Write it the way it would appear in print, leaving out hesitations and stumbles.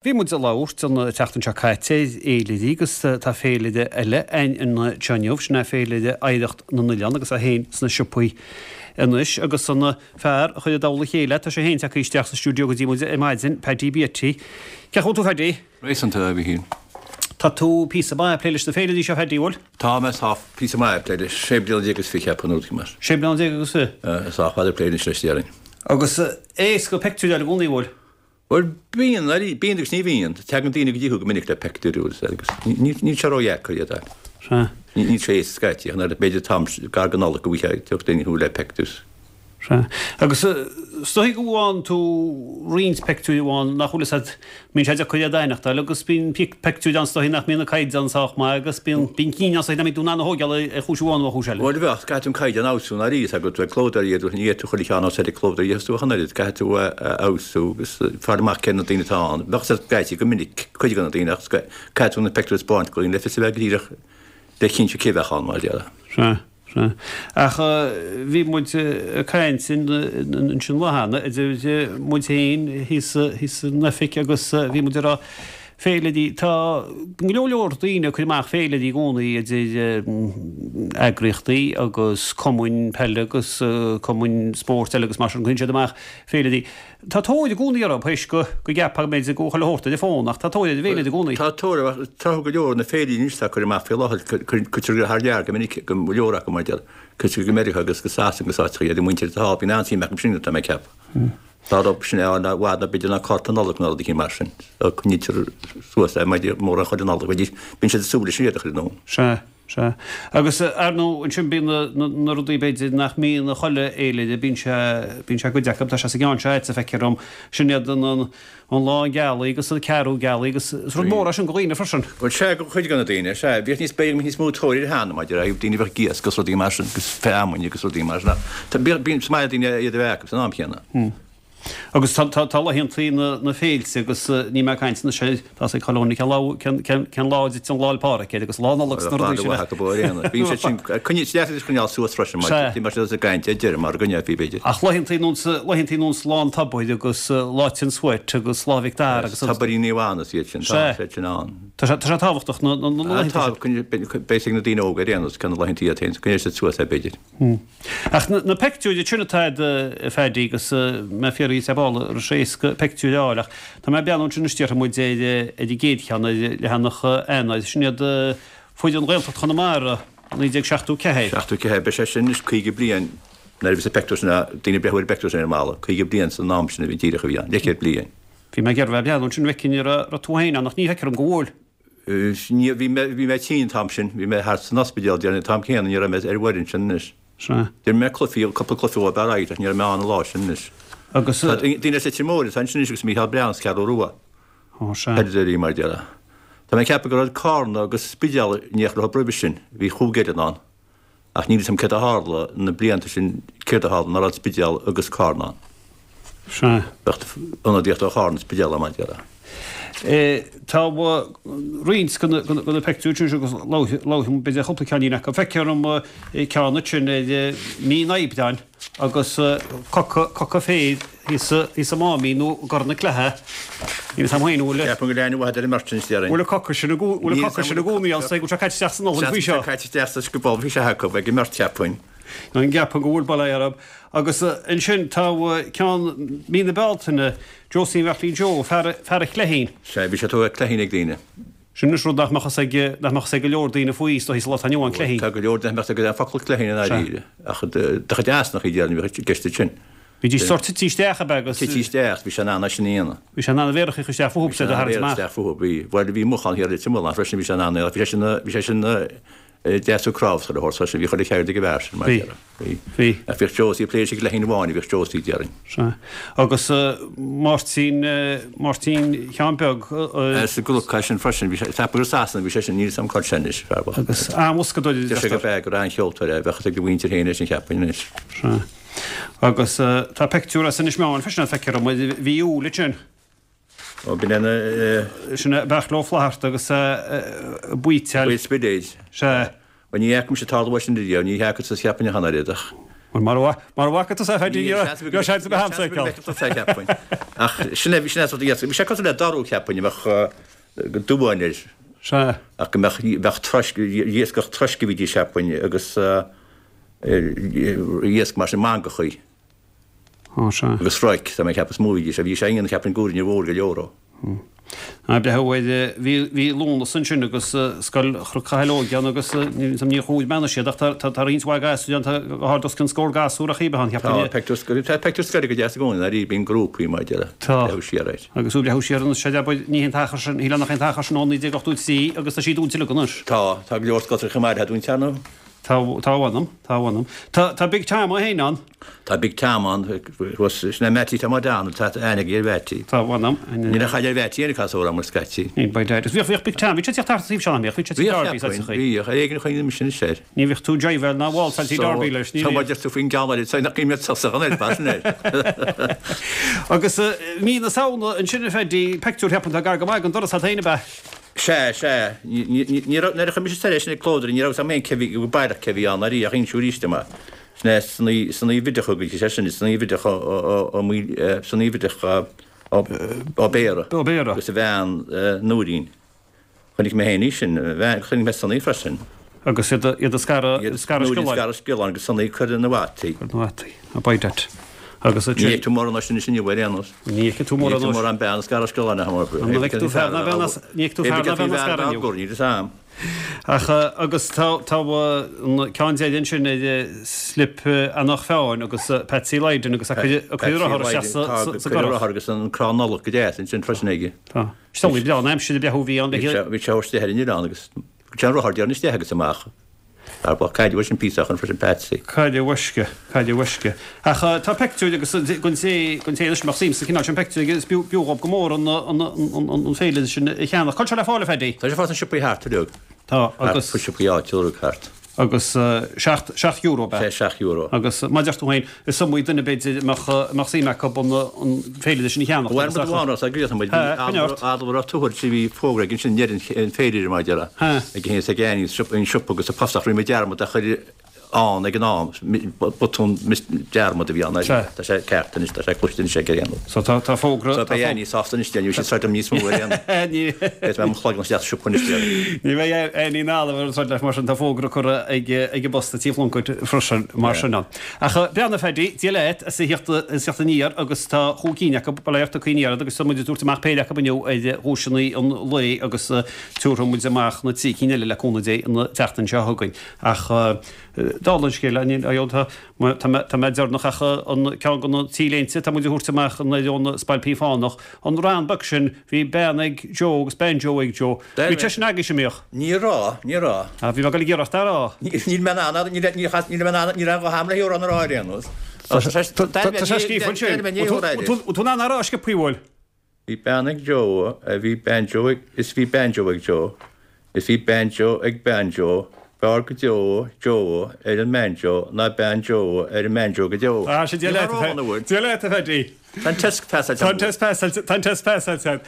Bhí muid ag labhairt an tseachtain seo caite ar fhéilirí agus tá féilire eile againn anseo inniu, sin é Féilire Oidhreacht na nOileán agus é féin sna siopaí anois agus an fear a chuir i dtoll a chéile, tá sé féin tagtha isteach sa stiúideo go dtí muid ar maidin, Paddy Beatty. Cén chaoi a bhfuil tú a Phaddy? Réasúnta, a Mhíchíl. Tá tú píosa maith ag plé leis na féilirí seo a Phaddy, bhfuil? Tá mé sách píosa maith ag plé leis, 16 bliana is fiche nó rud mar. 16 bliana agus fiche? Sách fada ag plé anois leis, déarfainn. Agus éasca peictiúir a fháil i gcónaí, bhfuil? Bhuel, bíonn, bíonn agus ní bhíonn. Tagann daoine go dtí thú go minic le peictiúir agus níl sé ródheacair iad a fháil. Níl sé éasca scaití, ach nuair b'fhéidir t-am gar don Nollaig go bhfaighfeá tiocfaidh daoine chugat le peictiúir. Sea. Agus is dóigh go bhfaigheann tú roinnt peictiúir amháin nach bhfuil fhios agat, mbíonn sé deacair iad a aithneachtáil agus bíonn peictiúir ann is dóigh nach mbíonn an caighdeán sách maith agus bíonn bíonn cinn ann is dóigh nach mbíonn tú in ann a thóigeáil ar chúis amháin nó ar chúis eile. Bhuel, bheadh, caithfidh tú an caighdeán a fheabhsú i ndáiríre, tá agat, bheith clódóirí iad, ní fhéadfadh tú chuile cheann as ar clódóirí a fheabhsú ach an oiread, caithfidh tú a fheabhsú agus fáil amach cé na daoine atá ann. Bheadh siad scaití go minic, cuid de na daoine ach caithfidh tú na peictiúir a spáint do dhaoine le fios a bheith go díreach le cinntiú cé bheadh ann, mar a déarfá. Sea. Sea. Ach bhí muid ag caint ansin lá cheana, idir muid féin thíos san oifig agus bhí muid ag rá féilirí, tá go leor leor daoine ag cur amach féilirí i gcónaí idir eagraíochtaí agus cumainn peile agus cumainn spóirt eile agus mar sin, cuireann siad amach féilirí. Tá tóir i gcónaí orthu, théis go gceapfá go mb'fhéidir go bhfuil chuile shórt ar an bhfón, ach tá tóir ar an bhféilire i gcónaí. Tá tóir, ach tráth go leor na féilirí anois atá curtha amach faoi láthair, cuirtear thar lear go minic, go leor acu mar a déarfá, cuirtear go Meiriceá agus go Sasana agus áiteacha iad, an mhuintir atá thall, bíonn an-suim acu sin, tá mé ag ceapadh. Dá raibh sin ann i bhfad ná b'fhéidir ná cárta Nollag ná rud eicínt mar sin, coinnítear suas é mórán chuile Nollaig, bíonn siad ag súil leis sin iad a chur anonn. Sea. Sea. Agus, ar ndóigh, ansin bíonn na, na rudaí b'fhéidir nach mbíonn i chuile fhéilire, bíonn sé, bíonn sé i gcuid acu, tá sé sa gceann seo agatsa, feictear dom, sin iad an, an, an lán gealaí agus an ceathrú gealaí agus is rud mór é sin do dhaoine freisin. Bhuel, sea, do chuid de na daoine, sea. Bhíodh níos, b'fhéidir go mbeadh níos mó tóir air cheana, maidir le daoine a bheadh ag iasc agus rudaí mar sin agus feamainn agus rudaí mar sin ach tá, bíonn, bíonn, is maith le daoine iad a bheith acu san am chéanna. Agus tá laethantaí na féilte agus níl mé ag caint anois ar, tá 's ag chuile dhuine cén lá, cén lá a dtiteann Lá 'le Pádraig air agus Lá Nollag 's na rudaí sin. Bíonn sé sin, coinníonn sé deas coinneáil suas freisin mar bhí sé ag caint ar deireadh mar go ndéarfaí b'fhéidir. Ach laethantaí nós, laethantaí nós Lá an Tobair agus Lá Tinn Sweat agus Lá Mhic Dara agus. Tobairí Naomh Anna is iad sin, tá siad sin ann. Tá sé, tá sé tábhachtach na laethantaí sin. Tá, beidh ag na daoine óga ar aon nós cé na laethantaí iad féin, coinneoidh siad suas é b'fhéidir. Ach na peictiúirí sin atá a'd, a Phaddy, agus mé ag fiafraí díot ar ball an raibh sé éasca peictiúir a fháil, ach tá mé ag breathnú ansin anois déarfaidh muid ar ar an gcéad cheann, ar leathanach Eanáir, sin iad foireann Ghaeltacht Chonamara, 1974. 74, beidh sé sin anois 50 bliain nuair a bhí sa peictiúr sin, daoine ag breathnú ar an bpeictiúr sin ar an mballa, 50 bliain san am sin a bhí díreach a bhí ann, leathchéad bliain. Bhí mé ag iarraidh bheith ag breathnú ansin an bhfeicfinn an raibh tú féin ann ach ní feictear dom go bhfuil. Ní, bhí mé, bhí mé tinn an t-am sin, bhí mé thart san ospidéal, déarfainn, an t-am céanna, ní raibh mé ar an bhfoireann sin anois. Sea. D'imir mé cluichí, cúpla cluiche dhóibh ar aghaidh ach ní raibh mé ann an lá sin anois. Agus. Tá daoine as Leitir Móir atá ansin anois agus Mícheál Breathnach as Ceathrú Rua. Ó, sea. Peileadóirí mar a déarfá. Tá mé ag ceapadh go raibh Carna agus Spidéal in éineacht leo roimhe sin, bhí chúig fhoireann ann. Ach níl 'fhios a'm céard a tharla na blianta sin, céard a tharla nach raibh Spidéal agus Carna ann. Sea. Bheadh ionadaíocht ó Charna is Spidéal ann, mar a déarfá. Tá roinnt de na peictiúir sin agus labhróidh muid b'fhéidir cúpla ceainnín acu. Feictear dom ceann ansin ar mí an Aibreáin agus coca féir thíos i Máimín nó i gCorr na Cloiche. Níl 'fhios a'm féin an bhfuil. Ceapaim go bhfuil aithne mhaith ar an mbeirt sin, déarfainn. Bhfuil an coca sin i bhfuil an coca sin i gcónaí ann, go bhfuil sé caite isteach san olann faoi seo. Seans go bhfuil sé caite isteach sa sciobóil bhí sé acu ag an mbeirt cheapfainn. An gceapann go bhfuil bail orthu. Agus ansin tá ceann mí na Bealtaine, Josie Bheairtlín Joe, fear fear an chleithín. Sea, bhí sé tugtha cleithín ag daoine. Sin anois rud nach mbeadh fhios ag, nach mbeadh fhios ag go leor daoine faoi, is dóichí, sa lá atá inniu ann, cleithín. Tá go leor daoine nach mbeadh fhios acu an focal cleithín i ndáiríre, ach de chuid easnach í déarfainn a bhíodh i gceist ansin. Bhídís sórt tite isteach, ab ea, agus. Tite isteach, bhí sé in ann é sin a dhéanamh. Bhí sé in ann a mhéaracha a chur isteach fúthu, is iad a tharraingt amach. Bhí sé in ann a mhéaracha isteach fúthu, bhí. Bhuel, bhí mochán thiar i Leitir Mealláin freisin, bhí sé in ann é, bhí sé sin, bhí sé sin deas ó cnámh sa horse freisin, bhí chuile cheird ag an bhfear sin, mar a Bhí. déarfá. Bhí. Bhí. Ach bhíodh Josie ag plé leis an gcleithín amháin a bhíodh Josie, déarfainn. Sea. Agus Máirtín, Máirtín Sheáin Beag. As an gCnoc é sin freisin, bhí sé, ceapaim gur i Sasana a bhí sé sin, níl 'fhios a'm cá bhfuil sé anois, fear bocht. Agus an-bhoscadóir a Deir sé deirtear. gurb ea, gur an-cheoltóir é, bheadh fhios ag a mhuintir féin é sin cheapfainn anois. Sea. Agus tá peictiúr as Inis Meáin freisin, feictear dom, i mhí Iúil ansin. Ó, b'in é na. Sin é Beairtle Ó Flatharta agus a baoiteáil. Baoth Spidéid. Sea. Bhuel, ní fhaca mise ag tarlú sin riamh, ní fhaca tusa cheapfainn ach an oiread, ach. Bhuel, mara bhfaca tusa é, a Pheaidí, ní raibh seans ar bith a'msa é a fheiceáil. Ach sin é, sin é sort iasc. Bhí sé cosúil le dorú, cheapfainn, a bheadh dubháin air. Sea. Ach go mbeadh, bheadh troisc, iascach troisc a bhídís, cheapfainn, agus iasc mar sin, mangachaí. Ó, sea. Agus roic, tá mé ag ceapadh, is mó a bhídís. Bhí sé ionann, cheapfainn, goúiríní mhór go leor ó. Ná breathú ar, bhí, bhí Lúnasa ansin agus Scoil Chnoc Chathail Óige ann agus níor chuaigh mé anois iad ach tá, tá, tá roinnt mhaith gasúir ann, tá go hard os cionn scór gasúr ach bheith ann, cheapfainn. Tá pictiúr scoile, tá pictiúr scoile go deas i gcónaí, ndáiríre, bíonn grúpaí maidir le Tá. breathú siar air. Agus tú ag breathú siar anois, sea, ní hé an t-achar sin, shílfeá nach é an t-achar sin ó 1983 agus tá sí dúnta uilig anois. Tá, tá go leor scoltacha chomh maith le dúnta ar ndóigh. Tá, tá a mh'anam, tá a mh'anam. Tá, tá Big Tom é féin ann. Tá Big Tom ann, thuas, sin é Mattie Tom O'Donnell, tá aithne aige ar Mhattie. Tá a mh'anam. Níl aon chaill ar Mhattie féin, caithfidh a rá, mar scaití. Níl, by dad. Bhíodh, bhíodh Big Tom, bhí sé ag tíocht thart an taobh seo, nach mbíodh? Bhí sé tigh Darby, sa chaoi. Bhíodh, ar éigean a choinnigh mise anois air. Ní bhíodh tú ag jiveáil ná ag waltzáil tigh Darby leis, ní bhíodh. Tá mar deir tú faoin gceann eile, tá nach mbíodh tusa an oiread mar sin air. Agus mí na Samhna ansin a Phaddy, peictiúr, cheapfainn, tá gar go maith don doras a't féin, ab ea? Sea, sea. Ní raibh, nuair a chuaigh mise soir é sin ag Clódra, ní raibh 'fhios a'm féin cé bhí, go baileach cé bhí ann ariamh, ach inseadh arís dom é. Sin é Sonaí, Sonaí Bhideach agus sé sin, Sonaí Bhideach ó, ó, ó, Maoil, Sonaí Bhideach ó, ó Béarra. Ó Béarra. Agus a bhean, Nóirín. Chonaic mé féin í sin, a bhean, chonaic mé Sonaí freisin. Agus iad, iad ag scaradh, scaradh sciolláin. Nóirín ag scaradh sciolláin agus Sonaí ag cur na bhfataí. Cur na bhfataí. By dad. Agus Ní fheicfidh tú mórán sin anois inniu ar aon nós. Ní fheicfidh tú mórán Ní fheicfidh tú mórán bean ag scaradh sciolláin ach mar An bhfeicfidh tú fear ná bean as ní fheicfidh tú fear ná bean ag scaradh inniu. Níl fhios a'm. Ach agus tá tá an ceann deiridh ansin ar Slip Eanach Mheáin agus Patsy Lydon agus a cuireadh rothar isteach sa sa gcurach. Cuireadh rothar agus an crann Nollag go deas ansin freisin aige. Tá. Is breá an aimsir a breathú bhí ann le Bhí sé istigh ar an oileán agus sé an rothar deireanach isteach agus amach. Ar ba caide leis an píosa chun freisin Patsy. Caide uisce, caide uisce. Ach tá peictiúir agus don té, don té anois a mbeadh suim sa chineál sin peictiúir agus b'fhiú, b'fhiú dhób go mór an, an, an, an féilire sin a cheannach. Cá bhfuil sé le fáil a Phaddy? Tá sé fáil sna siopaí thart uilig. Tá, agus. Thart, siopaí áitiúla uilig thart. Agus seacht, €7 ab ea? Sé €7. Agus mar a deir tú féin, is iomaí duine b'fhéidir a mbeadh, a mbeadh suim acu an, an féilire sin a cheannach. Bhuel, rud amháin a gríosann muid, bhí Adalbert Ó Tuathail, bhí fógra aige ansin i ndeireadh an féilire mar a déarfá, ag a ag Annie, an siopa agus an post ach rinne muid dearmad a chur ann ag an am, botún dearmad a bhí ann, tá sé ceart anois, tá sé cloiste anois ag aon. So tá tá fógra. So beidh Annie sásta anois, ní bheidh sí ag troid liom níos mó ar aon. Beidh mé mo chloigeann isteach sa siopa anois. Ní bheidh Annie ná Adalbert ag troid leat mar sin, tá fógra curtha ag ag an bpost i Tigh Phluincéid freisin mar sin ann. Ach breathnaigh a Phaddy, Dia leat as a theacht aniar agus tá chúig cinn acu, bail ort a cuimhní ort agus tá muid ag tabhairt amach péire acu inniu ar dhuaiseanna an lae agus tabharfaidh muid amach na trí cinn eile le cúnamh Dé an tseachtain seo chugainn. Ach dála an scéil, tá tá mé deireanach ach an ceann de na T-léinte atá muid a thabhairt amach an ar ón Spailpín Fánach, an rann beag sin, bhí bean ag Joe agus banjo ag Joe. Bhí sé sin agaibhse, an mbíodh? Ní raibh, ní raibh. Ah, bhí mé ag dul ag iarracht é a rá. Níl mé in ann, níl mé in ann, níl aon ghuth a'm le hamhrán a rá ar aon nós. Tá sé scríofa ansin. Bhfuil tú in ann é a rá sciobthaí, bhfuil? Bhí bean ag Joe, a bhí banjo ag, is bhí banjo ag Joe, is bhí banjo ag bean Joe, b'fhearr go deo Joe ar an mbanjo ná bean Joe ar an mbanjo go deo. Ah, sin Dia leat, a Dia leat, a Phaddy. Tá an test pasáilte. Tá an test pasáilte, tá an test pasáilte.